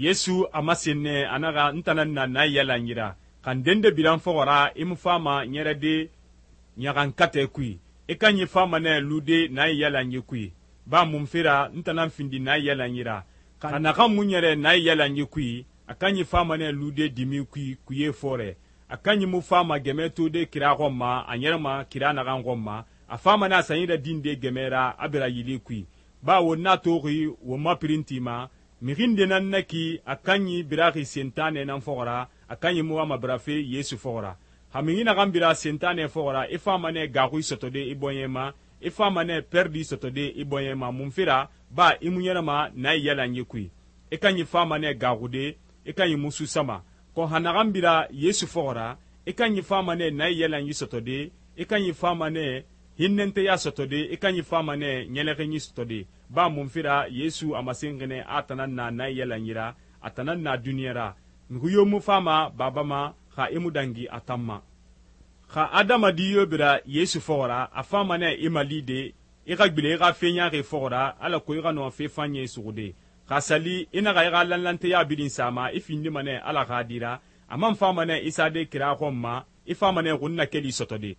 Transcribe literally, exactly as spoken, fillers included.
Yesu a masen nɛ a naxa n tan nan na na yalanyi ra, xa n dende biran fɔxɔ ra i mu fama ɲɛrɛde ɲaxankatɛ kui, i kanyi fama nɛ lude na yalanyi kui. Ba munfe ra n tan nan findi na yalanyi ra, xa naxan mu ɲɛrɛ na yalanyi kui, a kanyi fama nɛ lude dimi kui kuye fɔrɛ. A kanyi mu fama gɛmɛ tode kira xɔn ma a ɲɛrɛma kira naxan xɔn ma, a fama nɛ a sanyi radinde gɛmɛ ra a bira yili kui. Bawo n'a toxi won ma pirinti ma, mixi nde nan na ki a kanyi biraxi sentanɛ nan fɔxɔ ra, a kanyi mu wama birafe Yesu fɔxɔ ra. Xa mixi naxan bira sentanɛ fɔxɔ ra, i fama nɛ gaxui sɔtɔde i bɔɲɛ ma, i fama nɛ pɛrdi sɔtɔde i bɔɲɛ ma, munfe ra ba i mu ɲɛrɛma na yalanyi kui. I kanyi fama nɛ gaxude, i kanyi musu sama. Kɔn xa naxan bira Yesu fɔxɔ ra, i kanyi fama nɛ na yalanyi sɔtɔde, i kanyi fama nɛ hinnɛnteya sɔtɔde, i kanyi fama nɛ ɲɛlɛxinyi sɔtɔde. Ba munfe ra Yesu a masenxi nɛ a tan nan na na yalanyi ra, a tan nan na duniɲa ra. Mixi yo mu fama Baba ma xa i mu dangi a tan ma. Xa adamadi yo bira Yesu fɔxɔ ra, a fama nɛ i malide, i xa gbilen i xa fe ɲaaxi fɔxɔ ra, alako i xa nɔ fe fanɲɛ suxude. Xa sali i naxa i xa lanlanteya birin sama, i findima nɛ Ala xa di ra, a man fama nɛ i sade kira xɔn ma, i fama nɛ xunnakeli sɔtɔde.